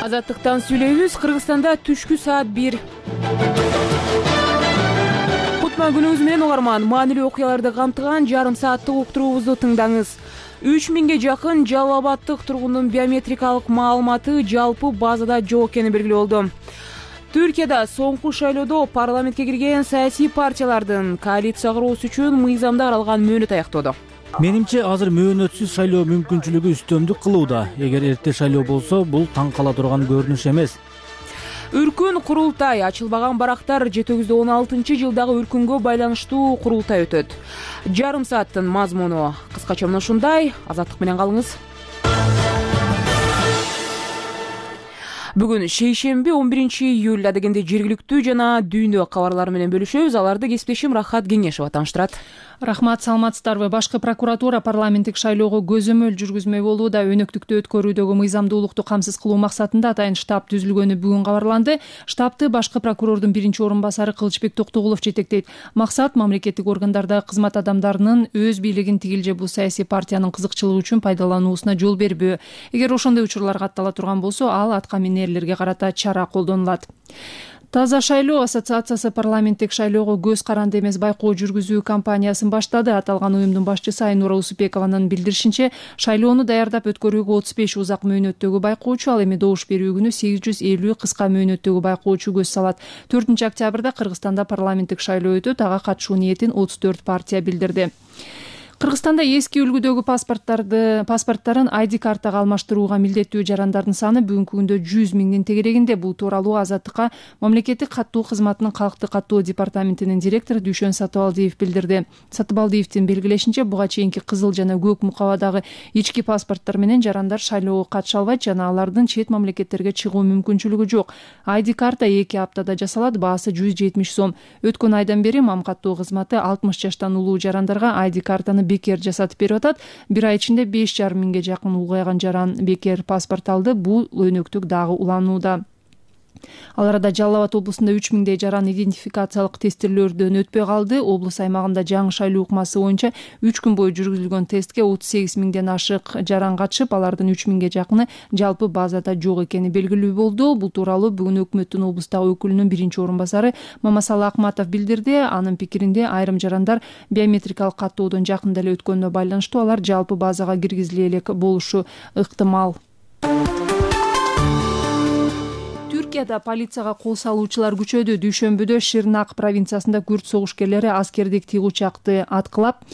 Азаттыктан сүйлөйбүз. Кыргызстанда түшкү саат 1. Кутма күнүңүз менен угарман. Маанилүү окуяларды камтыган жарым сааттык уктуруубузду тыңдаңыз. 3000ге жакын Жалал Абадтык тургундун биометрикалык маалыматы жалпы базада жок экени белгилүү болду. Түркияда соңку шайлоодо парламентке кирген саясий партиялардын коалиция куруу үчүн мыйзамда каралган мөөнөт аяктоодо. Менимче азыр мөөнөтсүз шайлоо мүмкүнчүлүгү үстөмдүк кылууда. Эгер эрте шайлоо болсо, бул таң кала турган көрүнүш эмес. Үркүн курултай ачылбаган барактар 716-жылдагы үркүнгө байланыштуу курултай өтөт. Жарым сааттын мазмуну кыскача мына ушундай. Азаттык менен калыңыз. Бүгүн шейшемби 11-июль дегенде жергиликтүү жана дүйнө кабарлары менен бөлүшөбүз. Аларды кесиптешим Рахат Кеңешова тааныштырат. Рахмат, саламатсыздарбы? Башкы прокуратура парламенттик шайлоого көзөмөл жүргүзмөй болууда. Өнөктүктү өткөрүүдөгү мыйзамдуулукту камсыз кылуу максатында атайын штаб түзүлгөнү бүгүн кабарланды. Штабты башкы прокурордун биринчи орун басары Кылычбек Токтогулов жетектейт. Максат мамлекеттик органдардагы кызмат адамдарынын өз бийлигин тигил же бул саясий партиянын кызыкчылыгы үчүн пайдалануусуна жол бербөө. Эгер ошондой учурлар каттала турган болсо, ал атка минерлерге карата чара колдонулат. Таза шайлоо ассоциациясы парламенттик шайлоого көз каранды эмес байкоо жүргүзүү кампаниясын баштады. Аталган уюмдун башчысы Айнура Усупекованын билдиришинче, шайлоону даярдап өткөрүүгө 35 узак мөөнөттөгү байкоочу, ал эми добуш берүү күнү 850 кыска мөөнөттөгү байкоочу көз салат. 4-октябрда Кыргызстанда парламенттик шайлоо өтөт. Ага катышуу ниетин 34 партия билдирди. Кыргызстанда эски үлгүдөгү паспорттарын ID картага алмаштырууга милдеттүү жарандардын саны бүгүнкү күндө 100 миңдин тегерегинде. Бул тууралуу Азаттыкка мамлекеттик каттоо кызматынын калкты каттоо департаментинин директору Дүйшөн Сатыбалдиев билдирди. Сатыбалдиевдин белгилешинче, буга чейинки кызыл жана көк мукабадагы ички паспорттор менен жарандар шайлоого катыша албайт жана алардын чет мамлекеттерге чыгуу мүмкүнчүлүгү жок. ID карта 2 аптада жасалат, баасы 170 сом. Өткөн айдан бери мам каттоо кызматы 60 жаштан улуу жарандарга ID картаны бекер жасатып берип атат. Бир ай ичинде 5,5 миңге жакын улгайган жаран бекер паспорт алды. Бул өнөктүк дагы уланууда. Ал арада Жалал Абад облусунда 3000дей жаран идентификациялык тестирлөөрдөн өтпөй калды. Облус аймагында жаңы шайлоо укмасы боюнча 3 күн бою жүргүзүлгөн тестке 38 миңден ашык жаран катышып, алардын 3000ге жакыны жалпы базада жок экени белгилүү болду. Бул тууралуу бүгүн өкмөттүн облустагы өкүлүнүн биринчи орун басары Мамасалы Акматов билдирди. Анын пикиринде, айрым жарандар биометрикалык каттоодон жакында эле өткөнүнө байланыштуу алар жалпы базага киргизиле элек болушу ыктымал. Түркияда полицияга кол салуучулар күчөдү. Дүйшөмбүдө Ширнак провинциясында күрд согушкерлери аскердик тиг учакты аткылап,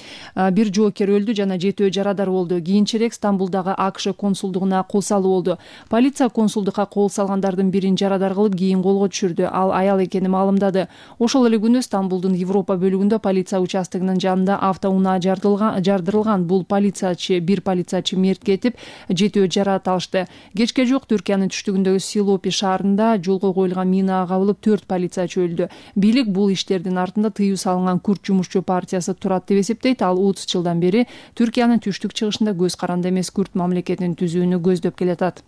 бир жоокер өлдү жана 7 жарадар болду. Кийинчерээк Стамбулдагы АКШ консулдугуна кол салуу болду. Полиция консулдукка кол салгандардын бирин жарадар кылып, кийин колго түшүрдү. Ал аял экени маалымдады. Ошол эле күнү Стамбулдун Европа бөлүгүндө полиция участогунун жанында автоунаа жардырылган. Бул бир полициячы мерт кетип, 7 жарат алышты. Кечке жок Түркиянын түштүгүндөгү Силопи шаарында жолго коюлган минага кабылып 4 полициячы өлдү. Бийлик бул иштердин артында тыюу салынган Күрд жумушчу партиясы турат деп эсептейт. Ал 30 жылдан бери Түркиянын түштүк чыгышында көз каранды эмес Күрд мамлекетин түзүүнү көздөп келатат.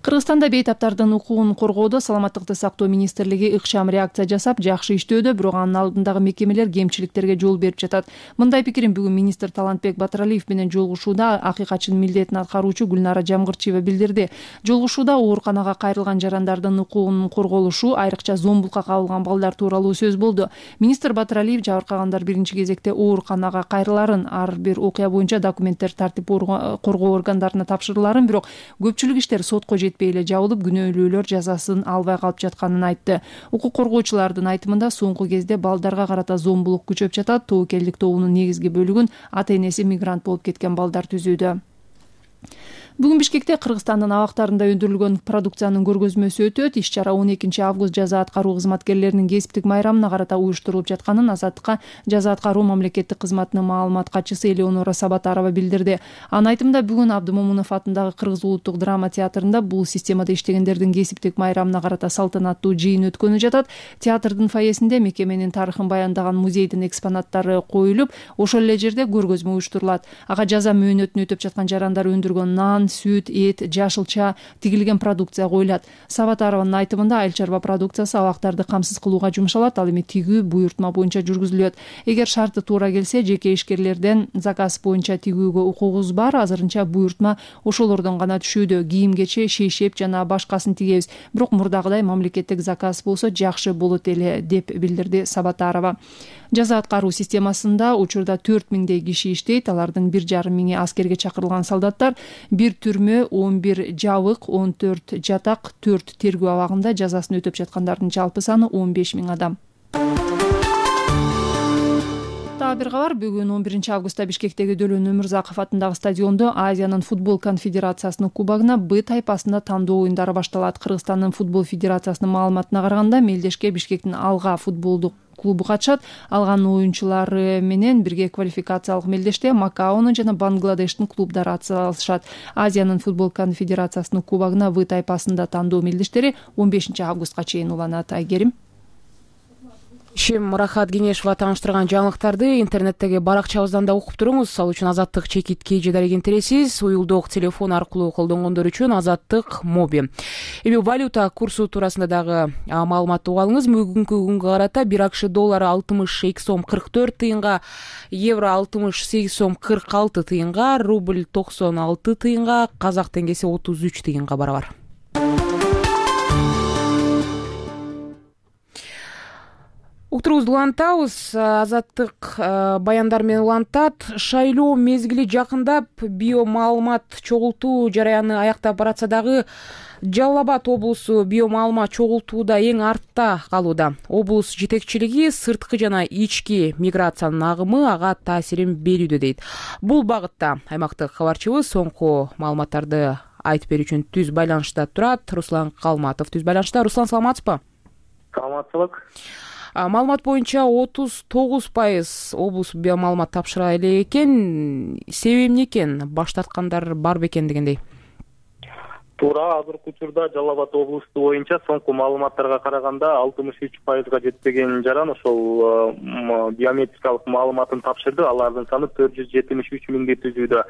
Кыргызстанда бейтаптардын укугун коргоодо Саламаттыкты сактоо министрлиги ыкчам реакция жасап, жакшы иштөөдө, бирок анын алдындагы мекемелер кемчиликтерге жол берип жатат. Мындай пикирин бүгүн министр Талантбек Батыралиев менен жолугушууда акыйкатчынын милдетин аткаруучу Гүлнара Жамгырчиева билдирди. Жолугушууда ооруканага кайрылган жарандардын укугунун корголушу, айрыкча зомбулукка кабылган балдар тууралуу сөз болду. Министр Батыралиев жабыркагандар биринчи кезекте ооруканага кайрыларын, ар бир окуя боюнча документтер тартип коргоо органдарына тапшырыларын, бирок көпчүлүк иштер сотко жетпей эле жабылып, күнөөлүүлөр жазасын албай калып жатканын айтты. Укук коргоочулардын айтымында соңку кезде балдарга карата зомбулук күчөп жатат. Тобокелдик тобунун негизги бөлүгүн ата-энеси мигрант болуп кеткен балдар түзүүдө. Бүгүн Бишкекте Кыргызстандын абактарында өндүрүлгөн продукциянын көргөзмөсү өтөт. Иш-чара 12-август жаза аткаруу кызматкерлеринин кесиптик майрамына карата уюштурулуп жатканын Азаттыкка жаза аткаруу мамлекеттик кызматынын маалымат катчысы Элеонора Сабатарова билдирди. Анын айтымында, бүгүн Абдымомунов атындагы Кыргыз улуттук драма театрында бул системада иштегендердин кесиптик майрамына карата салтанаттуу жыйын өткөнү жатат. Театрдын фойесинде мекеменин тарыхын баяндаган музейдин экспонаттары коюлуп, ошол эле жерде көргөзмө уюштурулат. Ага жаза мөөнөтүн өтөп жаткан жарандар өндүргөн нан, нан, сүт, эт, жашылча, тигилген продукция коюлат. Сабатарованын айтымында айыл чарба продукциясы абактарды камсыз кылууга жумшалат, ал эми тигүү буйртма боюнча жүргүзүлөт. Эгер шарты туура келсе, жеке ишкерлерден заказ боюнча тигүүгө укугубуз бар. Азырынча буйртма ошолордон гана түшүүдө. Кийим-кече, шейшеп жана башкасын тигебиз. Бирок мурдагыдай мамлекеттик заказ болсо жакшы болот эле, деп билдирди Сабатарова. Жаза аткаруу системасында учурда 4000 киши иштейт. Алардын 1500 аскерге чакырылган солдаттар, 1 түрмө, 11 жабык, 14 жатак, 4 тергөө абагында жазасын өтөп жаткандардын жалпы саны 15000 адам. Бир кабар, бүгүн 11 августта Бишкектеги Дөлөн Өмүрзаков атындагы стадиондо Азиянын футбол конфедерациясынын кубогуна Б тайпасында тандоо оюндары башталат. Кыргызстандын футбол федерациясынын маалыматына караганда, мелдешке Бишкектин Алга футболдук клубу катышат. Алганын оюнчулары менен бирге квалификациялык мелдеште Макаонун жана Бангладештин клубдары атсалышат. Азиянын футбол конфедерациясынын кубогуна В тайпасында тандоо мелдештери 15 августка чейин уланат. Айгерим. Рахат Кеңешова тааныштырган жаңылыктарды интернеттеги баракчабыздан да окуп туруңуз. Ал үчүн Азаттык чекит KG дарегентересиз, уюлдук телефон аркылуу колдонгондор үчүн Азаттык Моби. Эми валюта курсу туурасында дагы маалымат угуп алыңыз. Бүгүнкү күнгө карата 1 АКШ доллары 62 сом 44 тыйынга, евро 68 сом 46 тыйынга, рубль 96 тыйынга, казак теңгеси 33 тыйынга барабар. Уктуруубузду улантабыз. Азаттык баяндар менен улантат. Шайлоо мезгили жакындап, биомаалымат чогултуу жараяны аяктап баратса дагы Жалал Абад облусу биомаалымат чогултууда эң артта калууда. Облус жетекчилиги сырткы жана ички миграциянын агымы ага таасирин берүүдө дейт. Бул багытта аймактык кабарчыбыз соңку маалыматтарды айтып берүү үчүн түз байланышта турат. Руслан Калматов түз байланышта. Руслан, саламатсызбы? Саламатсызбы. Маалымат боюнча 39% облус биомаалымат тапшыра элек экен. Себеби эмне экен? Баштаткандар барбы экен дегендей? Туура, азыркы учурда Жалал Абад облусу боюнча соңку маалыматтарга караганда 63%га жетпеген жаран ошол биометрикалык маалыматын тапшырды. Алардын саны 473 миңди түзүүдө.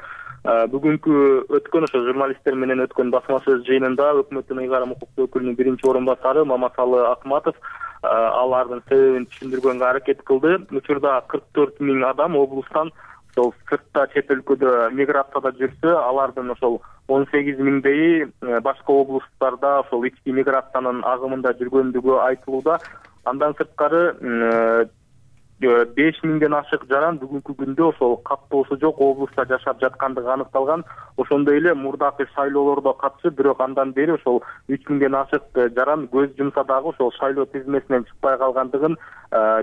Бүгүнкү өткөн ошо журналисттер менен өткөн басма сөз жыйынында өкмөттүн ыйгарым укуктуу өкүлүнүн биринчи орун басары Мамасалы Акматов алардын себебин түшүндүргөнгө аракет кылды. Учурда 44 миң адам облустан ошол сыртта чет өлкөдө миграцияда жүрсө, алардын ошол 18 миңдейи башка облустарда ошол ички миграциянын агымында жүргөндүгү айтылууда. Андан сырткары 5 миңден ашык жаран бүгүнкү күндө ошол каттоосу жок облуста жашап жаткандыгы аныкталган. Ошондой эле мурдакы шайлоолордо катышып, бирок андан бери ошол 3 миңден ашык жаран көз жумса дагы ошол шайлоо тизмесинен чыкпай калгандыгын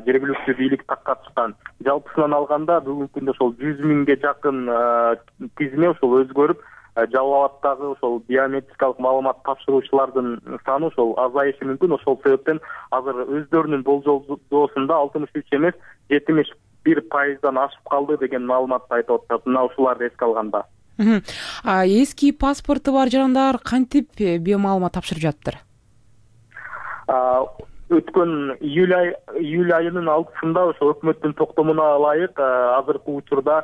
жергиликтүү бийлик таккатышкан. Жалпысынан алганда бүгүнкү күндө ошол 100 миңге жакын тизме ошол өзгөрүп, Жалал Абадтагы ошол биометрикалык маалымат тапшыруучулардын саны ошол азайышы мүмкүн. Ошол себептен азыр өздөрүнүн болжолдоосунда 63 эмес 71%дан ашып калды деген маалыматты айтып атышат. Мына ушуларды эске алганда. Эски паспорту бар жарандар кантип биомаалымат тапшырып жатыр? Өткөн июль айынын 6-сында ошо өкмөттүн токтомуна ылайык азыркы учурда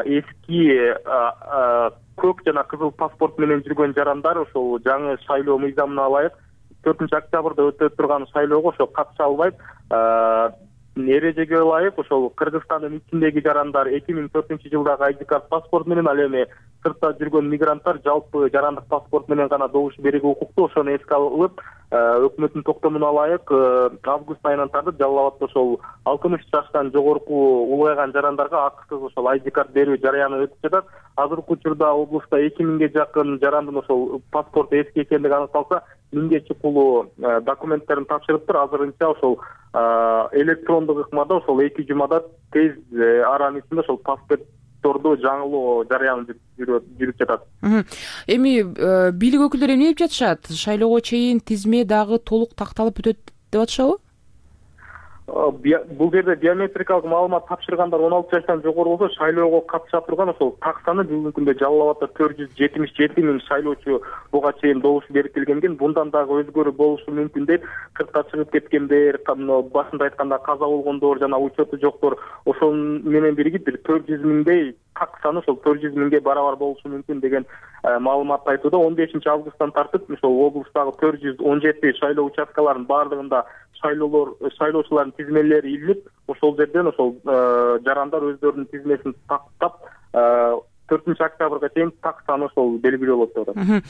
эски көк жана кызыл паспорт менен жүргөн жарандар ошол жаңы шайлоо мыйзамына ылайык 4-октябрда өтө турган шайлоого ошо катыша албайт. Эрежеге ылайык ошол Кыргызстандын ичиндеги жарандар 2004-жылдагы ID карт паспорт менен, ал эми сыртта жүргөн мигранттар жалпы жарандык паспорт менен гана добуш берүүгө укуктуу. Ошону эске алып, өкмөттүн токтомуна ылайык август айынан тартып Жалал Абадта ошол 60 жаштан жогорку улгайган жарандарга акысыз ошол ID карт берүү жараяны өтүп жатат. Азыркы учурда облуста 2000ге жакын жарандын ошол паспорту эски экендиги аныкталса, 1000ге чукулуу документтерин тапшырыптыр. Азырынча ошол электрондук ыкмада ошол 2 жумада тез аранын ичинде ошол паспортторду жаңылоо жараяны жүрүп жатат. Эми бийлик өкүлдөрү эмне деп жатышат? Шайлоого чейин тизме дагы толук такталып өтөт деп атышабы? бул жерде биометрикалык маалымат тапшыргандар 16 жаштан жогору болсо шайлоого катыша турган ошол так саны бүгүнкү күндө Жалал абадда 477 миң шайлоочу буга чейин добуш берип келген. Bundan дагы өзгөрүү болушу мүмкүн дейт. Сыртка чыгып кеткендер, башында айтканда каза болгондор жана учету жоктор ошол менен биригип бир 400 миңдей так саны ошол 400 миңге барабар болушу мүмкүн деген маалыматты айтууда. 15 августтан тартып ошол облустагы 417 шайлоо участкаларынын баардыгында шайлоочулардын тизмелери илинип, ошол жерден ошол жарандар өздөрүнүн тизмесин тактап 4 октябрга чейин так саны ошол белгилүү болот деп атат.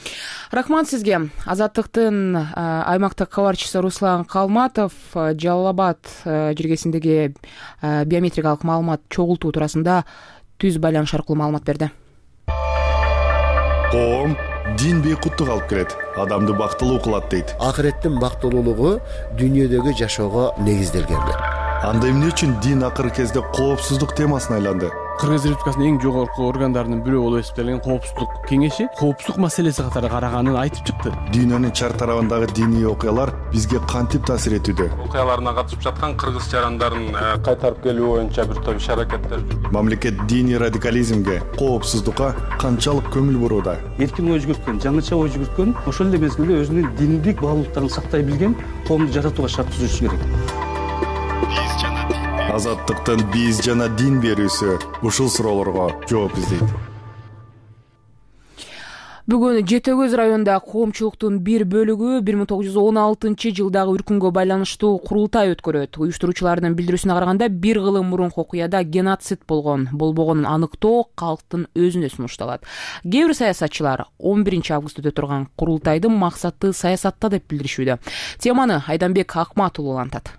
Рахмат сизге. Азаттыктын аймактык кабарчысы Руслан Калматов Жалал абад жергесиндеги биометрикалык маалымат чогултуу туурасында түз байланыш аркылуу маалымат берди. Коом дин бейкуттук алып келет, адамды бактылуу кылат дейт. Акыреттин бактылуулугу дүйнөдөгү жашоого негизделген. Анда эмне үчүн дин акыркы кезде коопсуздук темасына айланды? Кыргыз Республикасынын эң жогорку органдарынын бирөө болуп эсептелген коопсуздук кеңеши коопсуздук маселеси катары караганын айтып чыкты. Дүйнөнүн чар тарабындагы диний окуялар бизге кантип таасир этүүдө? Окуяларына катышып жаткан кыргыз жарандарын кайтарып келүү боюнча бир топ иш-аракеттер жүргүзүлөт. Мамлекет диний радикализмге, коопсуздукка канчалык көңүл бурууда? Эркин ой жүгүрткөн, жаңыча ой жүгүрткөн, ошол эле мезгилде өзүнүн диндик баалуулуктарын сактай билген коомду жаратууга шарт түзүшү керек. Азаттыктын биз жана дин берүүсү ушул суроолорго жооп издейт. Бүгүн Жети Көз районунда коомчулуктун бир бөлүгү 1916-жылдагы үркүнгө байланыштуу курултай өткөрөт. Уюштуруучулардын билдирүүсүнө караганда бир кылым мурунку окуяда геноцид болгон, болбогонун аныктоо калктын өзүнө сунушталат. Кээ бир саясатчылар 11 августта өтө турган курултайдын максаты саясатта деп билдиришүүдө. Теманы Айданбек Акмат уулу антат.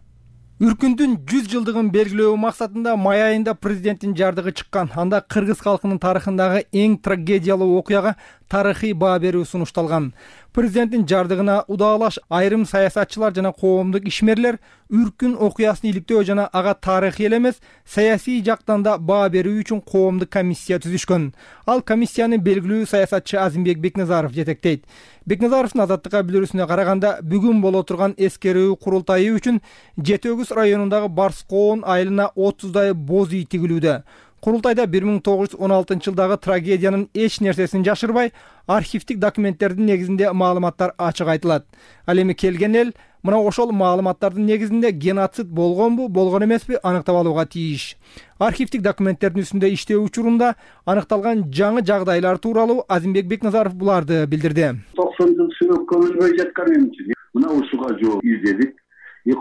Үркүндүн 100 жылдыгын белгилөө максатында май айында президенттин жардыгы чыккан. Анда кыргыз калкынын тарыхындагы эң трагедиялуу окуяга тарыхый баа берүү сунушталган. Президенттин жардыгына удаалаш айрым саясатчылар жана коомдук ишмерлер үркүн окуясын иликтөө жана ага тарыхый эле эмес, саясий жактан да баа берүү үчүн коомдук комиссия түзүшкөн. Ал комиссияны белгилүү саясатчы Азимбек Бекназаров жетектейт. Бекназаровдун Азаттыкка билдирүүсүнө караганда, бүгүн боло турган эскерүү курултайы үчүн Жети Көз районундагы Барскоон айылына 30дай боз үй тигилүүдө. Курултайда 1916-жылдагы трагедиянын эч нерсесин жашырбай, архивдик документтердин негизинде маалыматтар ачык айтылат. Ал эми келген эл мына ошол маалыматтардын негизинде геноцид болгонбу, болгон эмеспи аныктап алууга тийиш. Архивдик документтердин үстүндө иштөө учурунда аныкталган жаңы жагдайлар тууралуу Азимбек Бекназаров буларды билдирди. 90 жыл сүрөп көмүлбөй жаткан эмчи. Мына ушуга жооп издедик.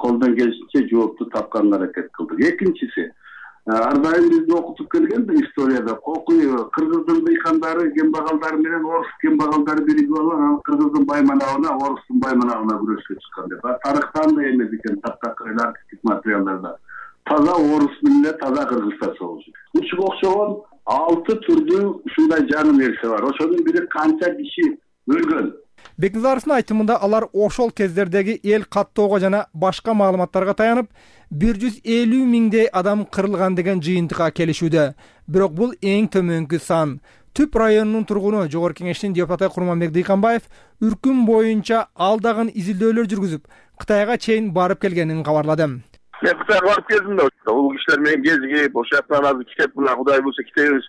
Колдон келишинче жоопту тапканга аракет кылдык. Экинчиси, ар дайым бизди окутуп келген историяда кыргыздын дыйкандары, кембагалдары менен орус кембагалдары биригип алып, кыргыздын байманабына, орустун байманабына күрөшкө чыккан деп. Тарыхтан да эмес экен, таптакыр архивдик материалдарда. Таза орус менен таза кыргызча болчу. Ушуга окшогон 6 түрдүү ушундай жаңы нерсе бар. Ошонун бири канча киши өлгөн. Бекназаровдун айтымында алар ошол кездердеги эл каттоого жана башка маалыматтарга таянып 150 миңдей адам кырылган деген жыйынтыкка келишүүдө. Бирок бул эң төмөнкү сан. Түп районунун тургуну Жогорку Кеңештин депутаты Курманбек Дыйканбаев үркүн боюнча алдагын изилдөөлөр жүргүзүп, Кытайга чейин барып келгенин кабарлады. Мен Кытайга барып келдим да, улуу кишилер менен кезигип, ошол жактан азыр китеп мына Кудай буйрса китебиз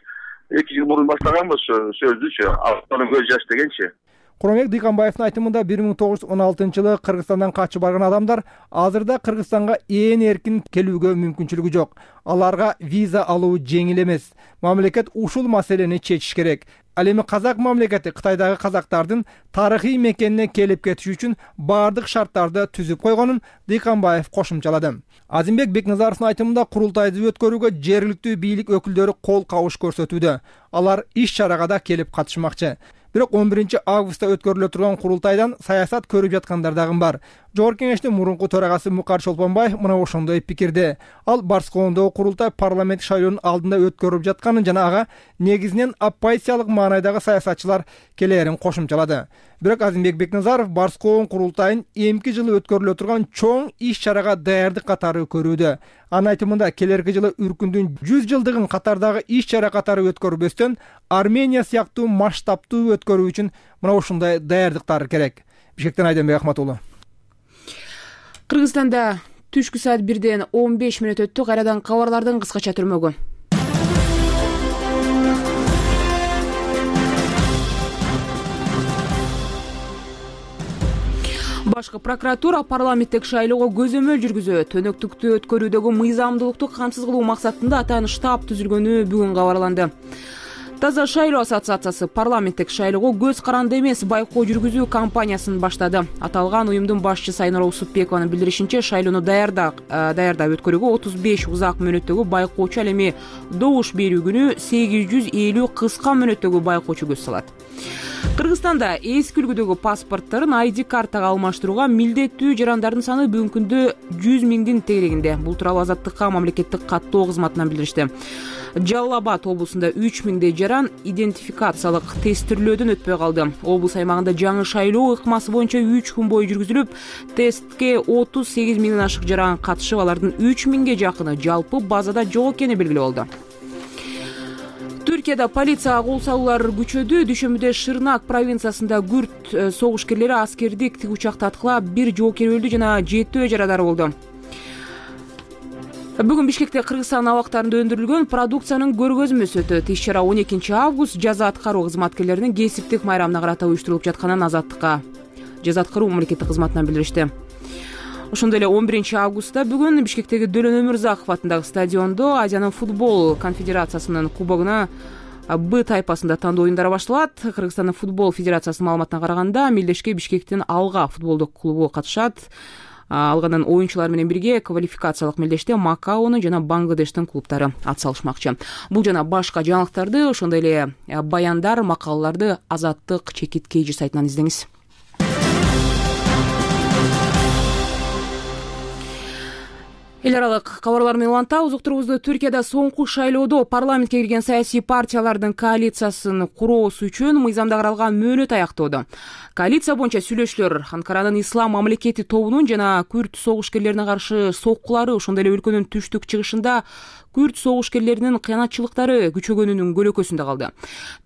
2 жыл мурун баштаганбыз сөздүчү, Алтынын көз жаш дегенчи. Курманбек Дыйканбаевдин айтымында 1916-жылы Кыргызстандан качып барган адамдар азырда Кыргызстанга ээн эркин келүүгө мүмкүнчүлүгү жок. Аларга виза алуу жеңил эмес. Мамлекет ушул маселени чечиш керек. Ал эми казак мамлекети Кытайдагы казактардын тарыхый мекенине келип кетиш үчүн бардык шарттарды түзүп койгонун Дыйканбаев кошумчалады. Азимбек Бекназаровдун айтымында курултайды өткөрүүгө жергиликтүү бийлик өкүлдөрү кол кабыш көрсөтүүдө. Алар иш-чарага да келип катышмакчы. Бирок 11 августта өткөрүлө турган курултайдан саясат көрүп жаткандар дагы бар. Жогорку Кеңештин мурунку төрагасы Мукар Чолпонбаев мына ошондой пикирде. Ал Барскоондогу курултай парламент шайлоонун алдында өткөрүлүп жатканын жана ага негизинен оппозициялык маанайдагы саясатчылар келээрин кошумчалады. Бирок Азимбек Бекназаров Барскоон курултайын эмки жылы өткөрүлө турган чоң иш-чарага даярдык катары көрүүдө. Анын айтымында келерки жылы үркүндүн 100 жылдыгын катардагы иш-чара катары өткөрбөстөн Армения сыяктуу масштабтуу өткөрүү үчүн мына ушундай даярдыктар керек. Бишкектен Айданбек Акмат уулу. Кыргызстанда Түшкү саат 1-ден 15 мүнөт өттү. Кайрадан кабарлардын кыскача түрмөгү. Башкы прокуратура парламенттик шайлоого көзөмөл жүргүзөт. Өнөктүктү өткөрүүдөгү мыйзамдуулукту камсыз кылуу максатында атайын штаб түзүлгөнү бүгүн кабарланды. Таза шайлоо ассоциациясы парламенттик шайлоого көз каранды эмес байкоо жүргүзүү кампаниясын баштады. Аталган уюмдун башчысы Айнура Усупбекованын билдиришинче, шайлоону даярдап өткөрүүгө 35 узак мөөнөттөгү байкоочу, ал эми добуш берүү күнү 850 кыска мөөнөттөгү байкоочу көз салат. Кыргызстанда эски үлгүдөгү паспортторун ID картага алмаштырууга милдеттүү жарандардын саны бүгүнкү күндө 100 миңдин тегерегинде. Бул тууралуу Азаттыкка мамлекеттик каттоо кызматынан билдиришти. Жалал Абад облусунда 3000дей жаран идентификациялык тестирлөөдөн өтпөй калды. Облус аймагында жаңы шайлоо ыкмасы боюнча 3 күн бою жүргүзүлүп, тестке 38 миңден ашык жаран катышып, алардын 3000ге жакыны жалпы базада жок экени белгилүү болду. Түркияда полицияга кол салуулар күчөдү. Дүйшөмбүдө Шырнак провинциясында күрд согушкерлери аскердик тигучакты аткылап, 1 жоокер өлдү жана 7 жарадар болду. Бүгүн Бишкекте Кыргызстан абактарында өндүрүлгөн продукциянын көргөзмөсү өтөт. Иш-чара 12 август жаза аткаруу кызматкерлеринин кесиптик майрамына карата уюштурулуп жатканын Азаттыкка жаза аткаруу мамлекеттик кызматынан билдиришти. Ошондой эле 11 августта бүгүн Бишкектеги Дөлөн Өмүрзаков атындагы стадиондо Азиянын футбол конфедерациясынын кубогуна Б тайпасында тандоо оюндары башталат. Кыргызстандын футбол федерациясынын маалыматына караганда, мелдешке Бишкектин Алга футболдук клубу катышат. Алганын оюнчулар менен бирге квалификациялык мелдеште Макаонун жана Бангладештин клубтары атсалышмакчы. Бул жана башка жаңылыктарды, ошондой эле баяндар, макалаларды Азаттык чекит KG сайтынан издеңиз. Эл аралык кабарлар менен улантабыз. Уктурубузду Түркияда соңку шайлоодо парламентке кирген саясий партиялардын коалициясын куроосу үчүн мыйзамда каралган мөөнөт аяктоодо. Коалиция боюнча сүйлөшүүлөр Анкаранын Ислам мамлекети тобунун жана күрд согушкерлерине каршы соккулары, ошондой эле өлкөнүн түштүк чыгышында күрд согушкерлеринин кыянатчылыктары күчөгөнүнүн көлөкөсүндө калды.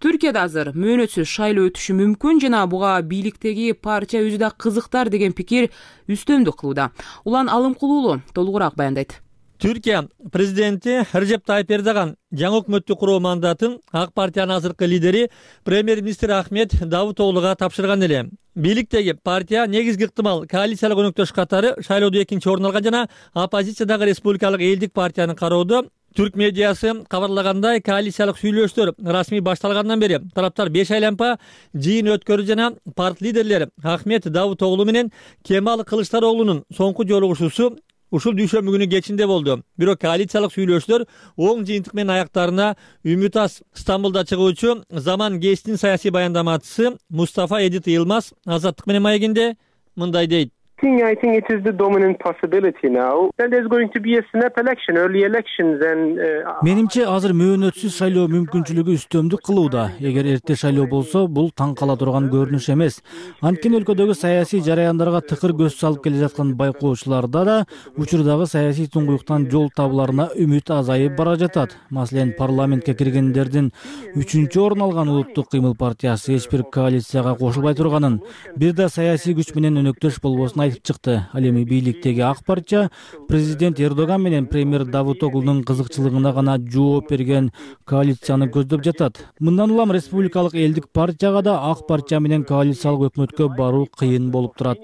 Түркияда азыр мөөнөтсүз шайлоо өтүшү мүмкүн жана буга бийликтеги партия өзү да кызыктар деген пикир үстөмдүк кылууда. Улан Алымкулуулу толугураак баяндайт. Түркия президенти Режеп Тайып Эрдоган жаңы өкмөттү куруу мандатын ак партиянын азыркы лидери премьер-министр Ахмет Давутоглуга тапшырган эле. Бийликтеги партия негизги ыктымал коалициялык өнөктөш катары шайлоодо 2-чи орун алган жана оппозициядагы Республикалык элдик партиянын кароодо. Түрк медиасы кабарлагандай, коалициялык сүйлөшүүлөр расмий башталгандан бери тараптар 5 айланпа жыйын өткөрдү жана парт лидерлери Ахмет Давутоглу менен Кемал Кылычдароглунун соңку жолугушуусу ушул дүйшөмбү күнү кечинде болду. Бирок коалициялык сүйлөшүүлөр оң жыйынтык менен аяктарына Үмүт Ас Стамбулда чыгуучу Заман гезитинин саясий баяндамачысы Мустафа Эдит Йылмаз Азаттык менен маегинде мындай дейт. I think it is the dominant possibility now. Then there's going to be a snap election, early elections and Менимче азыр мөөнөтсүз шайлоо мүмкүнчүлүгү үстөмдүк кылууда. Эгер эрте шайлоо болсо, бул таң кала турган көрүнүш эмес. Анткени өлкөдөгү саясий жараяндарга тыкыр көз салып келе жаткан байкоочуларда да учурдагы саясий туңгуюктан жол табыларына үмүт азайып бара жатат. Маселен, парламентке киргендердин 3-чү орун алган Улуттук кыймыл партиясы эч бир коалицияга кошулбай турганын, бир да саясий күч менен өнөктөш болбосун айтып чыкты. Ал эми бийликтеги ак партия президент Эрдоган менен премьер Давутоглунун кызыкчылыгына гана жооп берген коалицияны көздөп жатат. Мындан улам Республикалык элдик партияга да ак партия менен коалициялык өкмөткө баруу кыйын болуп турат.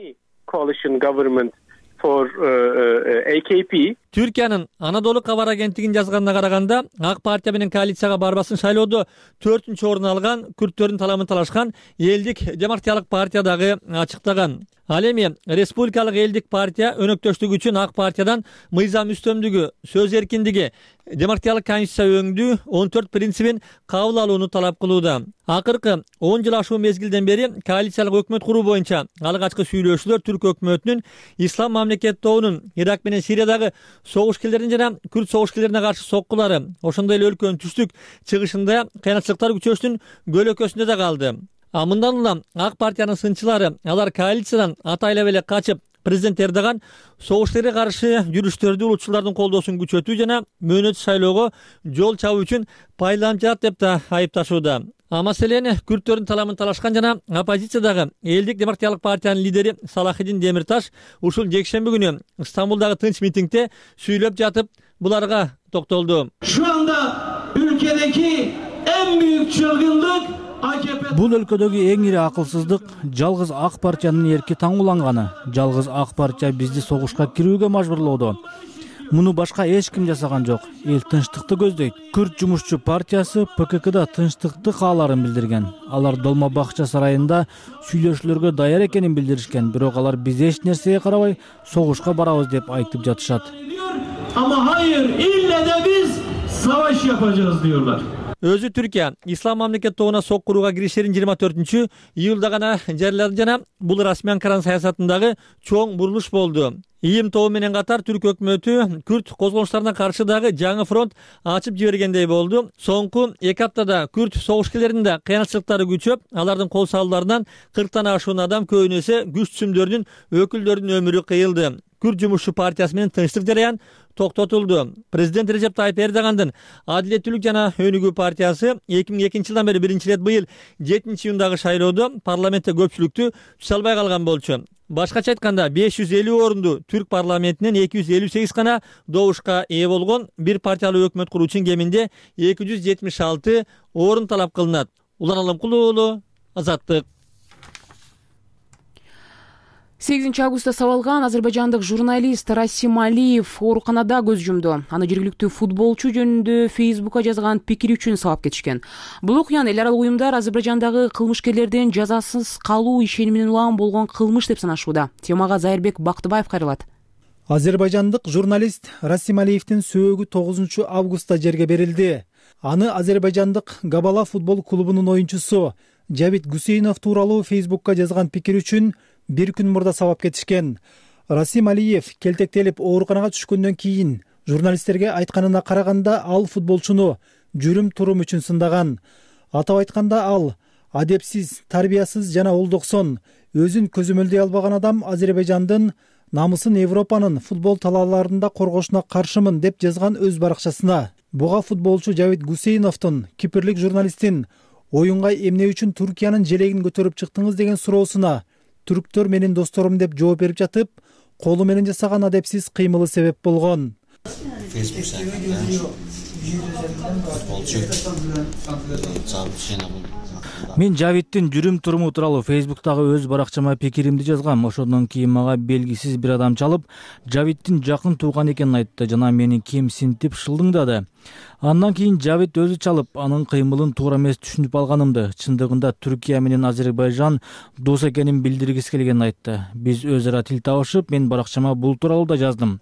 Түркиянын Анадолу кабар агенттигинин жазганына караганда, ак партия менен коалицияга барбасын шайлоодо 4-чү орун алган күрттөрдүн таламын талашкан элдик демократиялык партия дагы ачыктаган. Ал эми Республикалык элдик партия өнөктөштүк үчүн ак партиядан мыйзам үстөмдүгү, сөз эркиндиги, демократиялык конституция өңдүү 14 принцибин кабыл алууну талап кылууда. Акыркы 10 жыл ашуу мезгилден бери коалициялык өкмөт куруу боюнча алгачкы сүйлөшүүлөр түрк өкмөтүнүн Ислам мамлекет тобунун Ирак менен Сириядагы согушкерлерин жана күрд согушкерлерине каршы соккулары, ошондой эле өлкөнүн түштүк чыгышында кыянатчылыктар күчөштүн көлөкөсүндө да калды. Мындан улам ак партиянын сынчылары, алар коалициядан атайлап эле качып, президент Эрдоган согушкерге каршы жүрүштөрдү улутчулардын колдоосун күчөтүү жана мөөнөтсүз шайлоого жол чабуу үчүн пайдаланып жатат деп да айыпташууда. Маселени күрттөрдүн таламын талашкан жана оппозициядагы Элдик демократиялык партиянын лидери Салахидин Демирташ ушул жекшемби күнү Стамбулдагы тынч митингде сүйлөп жатып буларга токтолду. Şu anda ülkedeki en büyük çılgınlık AKP. Бул өлкөдөгү эң ири акылсыздык жалгыз ак партиянын эрки таңууланганы. Жалгыз ак партия бизди согушка кирүүгө мажбурлоодо. Муну башка эч ким жасаган жок. Эл тынчтыкты көздөйт. Күрт жумушчу партиясы ПККда тынчтыкты кааларын билдирген. Алар Долма бакча сарайында сүйлөшүүлөргө даяр экенин билдиришкен. Бирок алар биз эч нерсеге карабай согушка барабыз деп айтып жатышат. Ama hayır, ille de biz savaş yapacağız diyorlar. Өзү Түркия ислам мамлекет тобуна соккурууга киришерин 24-июлда гана жарыялады жана бул расмий Анкаранын саясатындагы чоң бурулуш болду. ИИМ тобу менен катар түрк өкмөтү күрт козголуштарына каршы дагы жаңы фронт ачып жибергендей болду. Соңку 2 аптада күрт согушкерлеринин кыянатчылыктары күчөп, алардын кол салууларынан 40тан ашуун адам көбүнесе күч түзүмдөрдүн өкүлдөрүнүн өмүрү кыйылды. Күрт жумушчу партиясы менен тынчтык жараян токтотулду. Президент Режеп Тайып Эрдогандын Адилеттүүлүк жана Өнүгүү партиясы 2002 жылдан бери биринчи ирет быйыл 7-июндагы шайлоодо парламентте көпчүлүктү түзө албай калган болчу. Башкача айтканда 550 орунду түрк парламентинен 258 гана добушка ээ болгон бир партиялуу өкмөт куруу үчүн кеминде 276 орун талап кылынат. Улан Алымкул уулу, Азаттык. 8-августта сабалган азербайжандык журналист Расим Алиев ооруканада көз жумду. Аны жергиликтүү футболчу жөнүндө Фейсбукка жазган пикири үчүн сабап кетишкен. Бул окуяны эл аралык уюмдар Азербайжандагы кылмышкерлердин жазасыз калуу ишениминин улам болгон кылмыш деп санашууда. Темага Зайырбек Бактыбаев кайрылат. Азербайжандык журналист Расим Алиевдин сөөгү 9-августта жерге берилди. Аны азербайжандык Габала футбол клубунун оюнчусу Жавид Гусейнов тууралуу Фейсбукка жазган пикири үчүн бир күн мурда сабап кетишкен. Расим Алиев келтектелип ооруканага түшкөндөн кийин журналисттерге айтканына караганда ал футболчуну жүрүм-турум үчүн сындаган. Атап айтканда ал адепсиз, тарбиясыз жана олдоксон, өзүн көзөмөлдөй албаган адам Азербайжандын намысын Европанын футбол талааларында коргошуна каршымын деп жазган өз баракчасына. Буга футболчу Жавид Гусейновдун кипрлик журналисттин оюнга эмне үчүн Түркиянын желегин көтөрүп чыктыңыз деген суроосуна түрктөр менин досторум деп жооп берип жатып, колу менен жасаган адепсиз кыймылы себеп болгон. Мен Жавидтин жүрүм-туруму тууралуу Фейсбуктагы өз баракчама пикиримди жазгам. Ошондон кийин мага белгисиз бир адам чалып, Жавидтин жакын тууган экенин айтты жана мени кемсинтип шылдыңдады. Андан кийин Жавид өзү чалып, анын кыймылын туура эмес түшүнүп алганымды, чындыгында Түркия менен Азербайжан дос экенин билдиргиси келгенин айтты. Биз өз ара тил табышып, мен баракчама бул тууралуу да жаздым.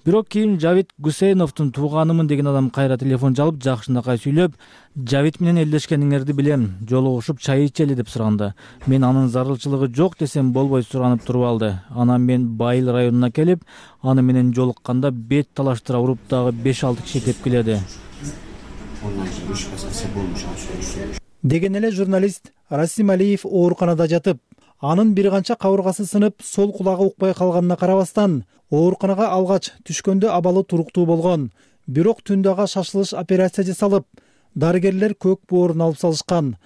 Бирок кийин Жавид Гусейновдун тууганымын деген адам кайра телефон чалып, жакшынакай сүйлөп, Жавид менен элдешкениңерди билем, жолугушуп чай ичели деп суранды. Мен анын зарылчылыгы жок десем болбой суранып туруп алды. Анан мен Байыл районуна келип, аны менен жолукканда бет талаштыра уруп дагы 5-6 киши кеп келеди. Деген эле журналист Расим Алиев ооруканада жатып, анын бир канча кабыргасы сынып, сол кулагы укпай калганына карабастан, ооруканага алгач түшкөндө абалы туруктуу болгон. Бирок түндө ага шашылыш операция жасалып, дарыгерлер көк боорун алып салышкан.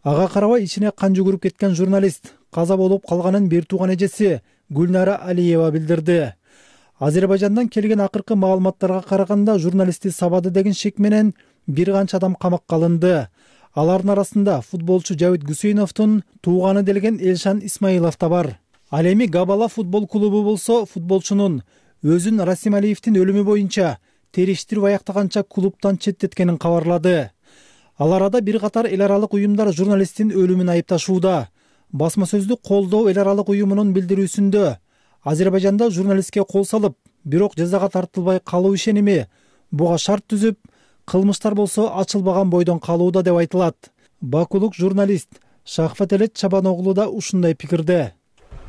Ага карабай ичине кан жүгүрүп кеткен журналист каза болуп калганын бир тууган эжеси Гүлнара Алиева билдирди. Азербайжандан келген акыркы маалыматтарга караганда журналистти сабады деген шек менен бир канча адам камакка алынды. Алардын арасында футболчу Жавид Гусейновдун тууганы делген Элшан Исмаилов да бар. Ал эми Габала футбол клубу болсо футболчунун өзүн Расим Алиевдин өлүмү боюнча териштирип аяктаганча клубтан четтеткенин кабарлады. Ал арада бир катар эл аралык уюмдар журналисттин өлүмүн айыпташууда. Басма сөздү колдоо эл аралык уюмунун билдирүүсүндө Азербайжанда журналистке кол салып, бирок жазага тартылбай калуу ишеними, буга шарт түзүп, кылмыштар болсо ачылбаган бойдон калууда деп айтылат. Бакулук журналист Шахфателет Чабаноглу да ушундай пикирде.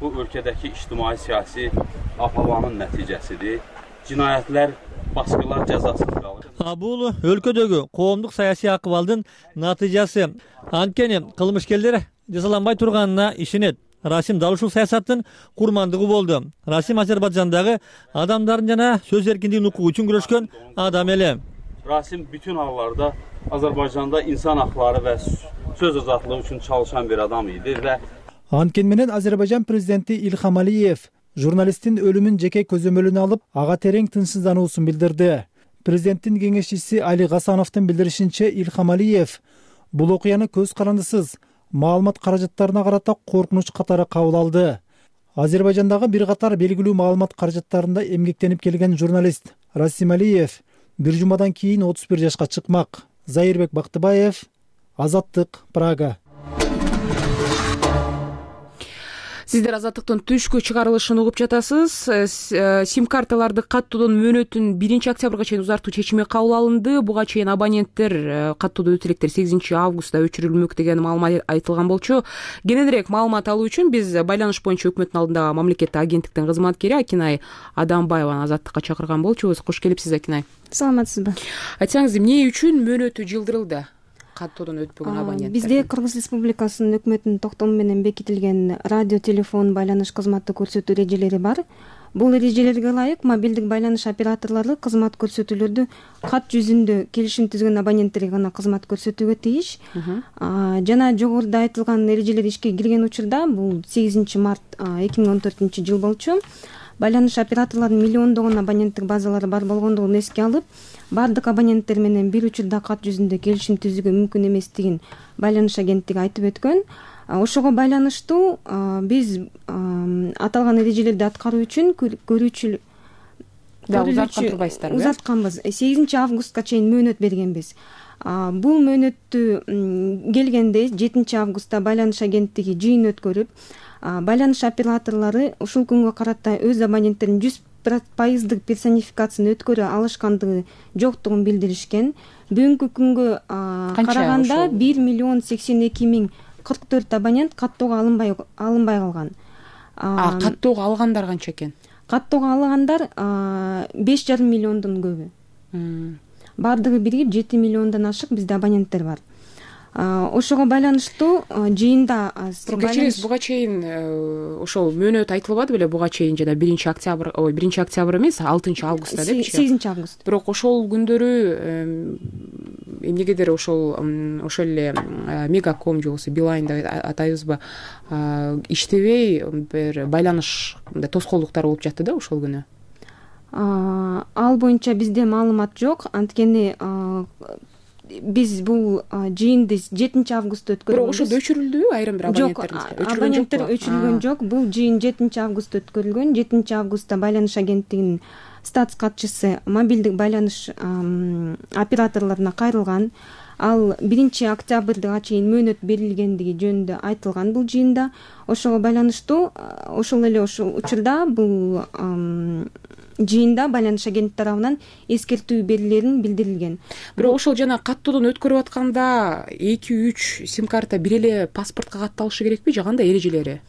Bu өлкөдөгү ijtimai siyasi aphavanın nəticəsidir. Cinayətlər, baskılar cəzasız qalır. Бул өлкөдөгү коомдук саясий акыбалдын натыйжасы. Анткени кылмышкерлер жазаланбай турганына ишенет. Расим дал ушул саясаттын курмандыгы болду. Расим Азербайжандагы адамдардын жана сөз эркиндигинин укугу үчүн күрөшкөн адам эле. Rasim bütün hallarda Azərbaycanda insan haqları və söz azadlığı üçün çalışan bir adam idi ve Анткени менен Азербайжан президенти Илхам Алиев журналисттин өлүмүн жеке көзөмөлүнө алып, ага терең тынчсыздануусун билдирди. Президенттин кеңешчиси Али Гасановдун билдиришинче, Илхам Алиев бул окуяны көз карандысыз маалымат каражаттарына карата коркунуч катары кабыл алды. Азербайжандагы бир катар белгилүү маалымат каражаттарында эмгектенип келген журналист Расим Алиев бир жумадан кийин 31 жашка чыкмак. Заирбек Бактыбаев, Азаттык, Прага. Сиздер Азаттыктын түшкү чыгарылышын угуп жатасыз. Сим-карталарды каттоодон мөөнөтүн 1-октябрга чейин узартуу чечими кабыл алынды. Буга чейин абоненттер каттоодо өтө электер 8-августта өчүрүлмөк деген маалымат айтылган болчу. Кененирээк маалымат алуу үчүн биз байланыш боюнча өкмөттүн алдындагы мамлекеттик агенттиктин кызматкери Акинай Адамбаеваны Азаттыкка чакырган болчубуз. Кош келипсиз, Акинай. Саламатсызбы? Айтсаңыз, эмне үчүн мөөнөтү жылдырылды? Каттоодон өтпөгөн абоненттер. Бизде Кыргыз Республикасынын өкмөтүнүн токтому менен бекитилген радио, телефон байланыш кызматы көрсөтүү эрежелери бар. Бул эрежелерге ылайык мобилдик байланыш операторлору кызмат көрсөтүүлөрдү кат жүзүндө келишим түзгөн абоненттерге гана кызмат көрсөтүүгө тийиш. Жана жогоруда айтылган эрежелер ишке кирген учурда, бул 8 март 2014 жыл болчу. Байланыш операторлорунун миллиондогон абоненттик базалары бар болгондугун эске алып, бардык абоненттер менен бир учурда кат жүзүндө келишим түзүүгө мүмкүн эместигин байланыш агенттиги айтып өткөн. Ошого байланыштуу биз аталган эрежелерди аткаруу үчүн көрүүчү узартканбыз. 8 августка чейин мөөнөт бергенбиз. Бул мөөнөттү келгенде 7 августта байланыш агенттиги жыйын өткөрүп, байланыш операторлору ушул күнгө карата өз абоненттерин 100% персонификацияны өткөрө алышкандыгы жоктугун билдиришкен. Бүгүнкү күнгө караганда 1,82,044 абонент каттоого алынбай калган. Каттоого алгандар канча экен? Каттоого алгандар 5,5 миллиондон көбү. Бардыгы биригип 7 миллиондон ашык бизде абоненттер бар. Ошого байланыштуу жыйында кечиреңиз, буга чейин ошол мөөнөт айтылбады беле? Буга чейин жана 1 октябрь эмес, 6 августта депчи? 8 август. Бирок ошол күндөрү эмнегедир ошол эле Мегаком же болбосо Билайн деп атайбызбы, иштебей бир байланыш тоскоолдуктар болуп жатты да ошол күнү. Ал боюнча бизде маалымат жок. Анткени биз бул жыйынды 7 августта өткөргөнбүз. Бирок ошол өчүрүлдү айрым бир абоненттер өчүрүлгөн жок. Бул жыйын 7 августта өткөрүлгөн. 7 августта байланыш агенттигинин статс катчысы мобилдик байланыш операторлоруна кайрылган. Ал 1 октябрга чейин мөөнөт берилгендиги жөнүндө айтылган бул жыйында. Ошого байланыштуу ошол эле ошол учурда бул жыйында байланыш агенттиги тарабынан эскертүү берилерин билдирилген. Бирок ошол жана каттоодон өткөрүп атканда 2-3 сим-карта бир эле паспортко катталышы керекпи же кандай эрежелери?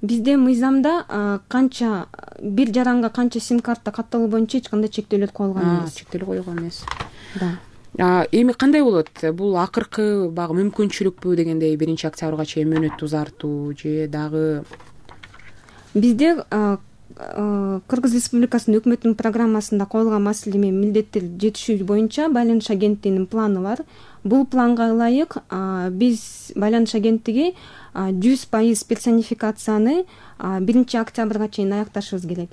Бизде мыйзамда канча бир жаранга канча сим-карта катталуу боюнча эч кандай чектөөлөр коюлган эмес. Чектөөлөр коюлган эмес. Да. Эми кандай болот? Бул акыркы багы мүмкүнчүлүкпү дегендей 1 октябрга чейин мөөнөттү узартуу же дагы? Бизде Кыргыз Республикасынын өкмөтүнүн программасында коюлган маселе менен милдеттер жетишүү боюнча байланыш агенттигинин планы бар. Бул планга ылайык биз байланыш агенттиги 100% персонификацияны 1 октябрга чейин аякташыбыз керек.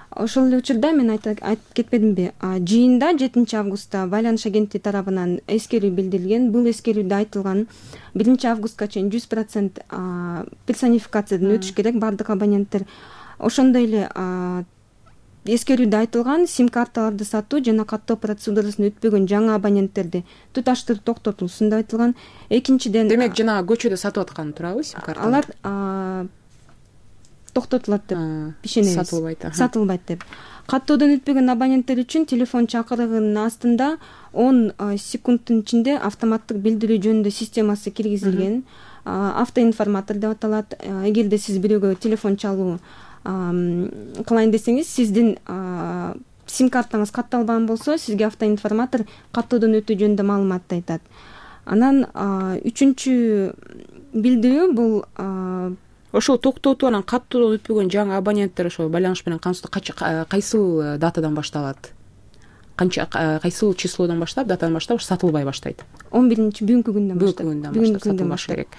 Ошол эле учурда мен айтып кетпедимби? Жыйында 7 августта байланыш агенттиги тарабынан эскерүү билдирилген. Бул эскерүүдө айтылган 1 августка чейин 100% персонификациядан өтүш керек бардык абоненттер. Ошондой эле эскерүүдө айтылган сим-карталарды сатуу жана каттоо процедурасын өтпөгөн жаңы абоненттерди туташтырып токтотулсун деп айтылган. Экинчиден, демек жана көчөдө сатып аткан туурабы сим-карталар? Алар токтотулат деп ишенебиз. Сатылбайт деп. Каттоодон өтпөгөн абоненттер үчүн телефон чакырыгынын астында 10 секундтун ичинде автоматтык билдирүү жөнүндө системасы киргизилген. Автоинформатор деп аталат. Эгерде сиз бирөөгө телефон чалуу кылайын десеңиз, сиздин сим-картаңыз катталбаган болсо, сизге автоинформатор каттоодон өтүү жөнүндө маалыматты айтат. Анан үчүнчү билдирүү бул ошол токтотуу анан каттоодон өтпөгөн жаңы абоненттер ошо байланыш менен кайсыл датадан башталат? канча кайсыл числодон баштап, датадан баштап сатылбай баштайт? 11 бүгүнкү күндөн баштап. Бүгүнкү күндөн баштап сатылбаш керек.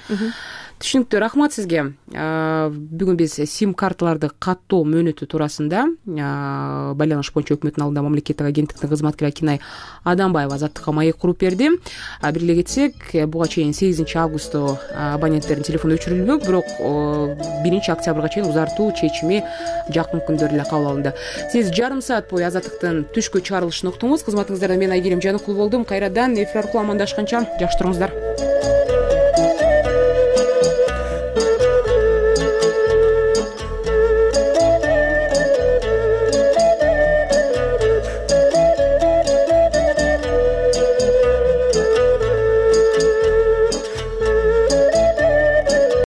Түшүнүктүү, рахмат сизге. Бүгүн биз сим карталарды каттоо мөөнөтү туурасында байланыш боюнча өкмөттүн алдында мамлекеттик агенттиктин кызматкери Акинай Адамбаева азаттыкка маек куруп берди. Бир эле кетсек, буга чейин 8 августта абоненттердин телефону өчүрүлбөк, бирок 1 октябрга чейин узартуу чечими жакын күндөрдө эле кабыл алынды. Сиз жарым саат бою азаттыктын түшкү чыгарылышын уктуңуз. Кызматыңыздарда мен Айгерим Жаныкул болдум. Кайрадан эфир аркылуу амандашканча жакшы туруңуздар.